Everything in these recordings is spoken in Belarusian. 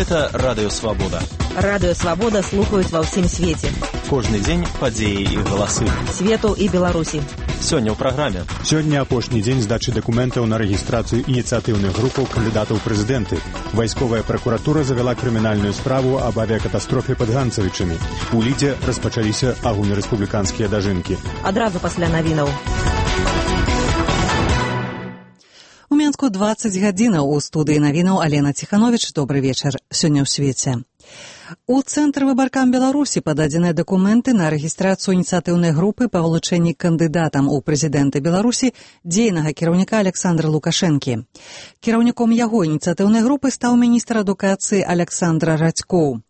Гэта Радыё Свабода. Радыё Свабода слухаюць ва ўсім свеце. Кожны дзень падзеі і галасы. Свету і Беларусі. Сёння ў праграме. Сёння апошні дзень здачы дакументаў на рэгістрацыю ініцыятыўных групаў кандыдатаў прэзідэнты. Вайсковая пракуратура завяла крымінальную справу аб авіякатастрофе пад Ганцавічамі. У Лідзе распачаліся агульнарэспубліканскія дажынкі. Адразу пасля навінаў. У Менску 20 гадзінаў. У студыі навінаў Алена Ціхановіч. Добры вечар. Сёння ў свеце. У Цэнтры выбаркам Беларусі пададзеныя дакументы на рэгістрацыю ініцыятыўнай групы па вылучэнні кандыдатам у прэзідэнты Беларусі дзейнага кіраўніка Александра Лукашэнкі. Кіраўніком яго ініцыятыўнай групы стаў міністр адукацыі Александр Радзькоў.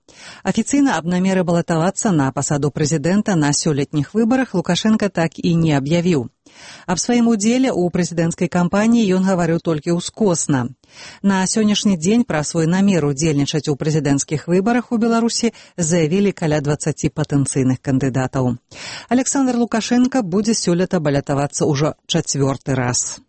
Афіцыйна аб намеры балатавацца на пасаду прэзідэнта на сёлетніх выбарах Лукашенка так і не аб'явіў. Аб сваім удзеле ў прэзідэнцкай кампаніі ён гаварыў толькі ўскосна. На сённяшні дзень пра свой намер удзельнічаць у прэзідэнцкіх выбарах у Беларусі заявілі каля 20 патэнцыйных кандыдатаў. Александр Лукашенка будзе сёлета балатавацца ўжо 4-й раз.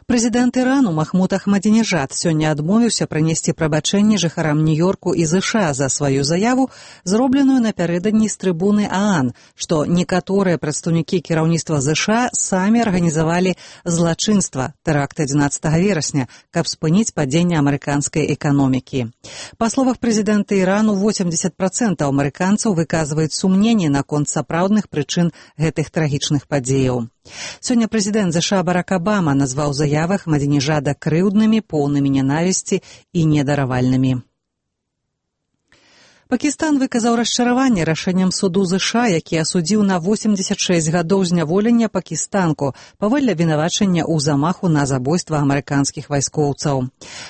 Прэзідэнт Ірану Махмуд Ахмадзінежад сёння адмовіўся прынесці прабачэнне жыхарам Нью-Йорку і ЗША за сваю заяву, зробленую напярэдадні з трыбуны ААН, што некаторыя прадстаўнікі кіраўніцтва ЗША самі арганізавалі злачынства, тэракт 11 верасня, каб спыніць падзенне амерыканскай эканомікі. Па словах прэзідэнта Ірану, 80% амерыканцаў выказваюць сумненні наконт сапраўдных прычын гэтых трагічных падзеяў. Сёння прэзідэнт ЗША Барак Абама назваў заявы Ахмадзінежада крыўднымі, поўнымі нянавісці і недаравальнымі. Пакістан выказаў расчараванне рашэннем суду ЗША, які асудзіў на 86 гадоў зняволення пакістанку паводле абвінавачання ў замаху на забойства амерыканскіх вайскоўцаў.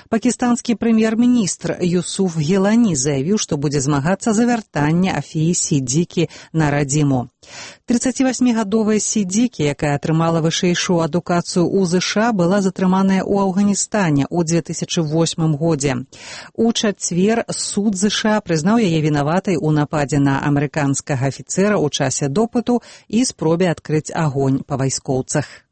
Пакістанскі прэм'ер-міністр Юсуф Гілані заявіў, што будзе змагацца за вяртанне Афіі Сіддікі на радзіму. 38-гадовая Сіддікі, якая атрымала вышэйшую адукацыю ў ЗША, была затрыманая ў Афганістане ў 2008 годзе. У чацвер суд ЗША прызнаў яе вінаватай у нападзе на амерыканскага афіцэра ў часе допыту і спробе адкрыць агонь па вайскоўцах.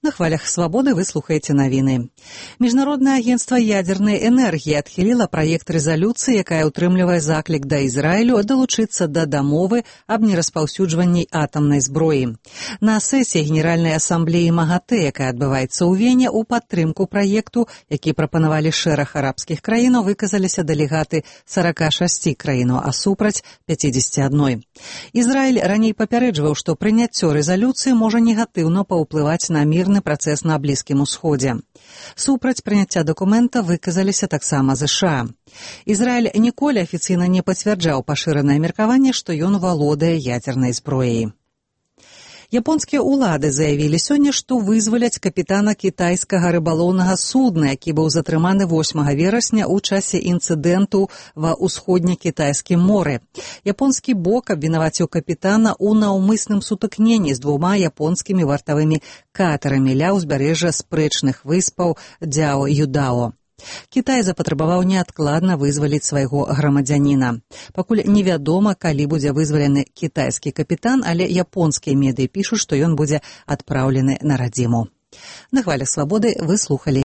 На хвалях свабоды вы слухаеце навіны. Міжнароднае агенцтва ядзернай энергіі адхіліла праект рэзалюцыі, якая ўтрымлівае заклік да Ізраілю далучыцца да дамовы аб нераспаўсюджванні атамнай зброі. На сесіі Генеральнай асамблеі МАГАТЭ, якая адбываецца ў Вене, у падтрымку праекту, які прапанавалі шэраг арабскіх краінаў, выказаліся дэлегаты 46 краінаў, а супраць 51. Ізраіль раней папярэджваў, што прыняццё рэзалюцыі можа негатыўна паўплываць на мірны працэс на Блізкім усходзе. Супраць прыняцця дакумента выказаліся таксама ЗША. Ізраіль ніколі афіцыйна не пацвярджаў пашыранае меркаванне, што ён валодае ядзернай зброяй. Японскія ўлады заявілі сёння, што вызваляць капітана кітайскага рыбалоўнага судна, які быў затрыманы 8 верасня ў часе інцыдэнту ва ўсходне-кітайскім моры. Японскі бок абвінаваціў капітана ў наўмысным сутыкненні з 2 японскімі вартавымі катэрамі ля ўзбярэжжа спрэчных выспаў Дзяо-Юдао. Кітай запатрабаваў неадкладна вызваліць свайго грамадзяніна. Пакуль невядома, калі будзе вызвалены кітайскі капітан, але японскія медыі пішуць, што ён будзе адпраўлены на радзіму. На хвалях свабоды вы слухалі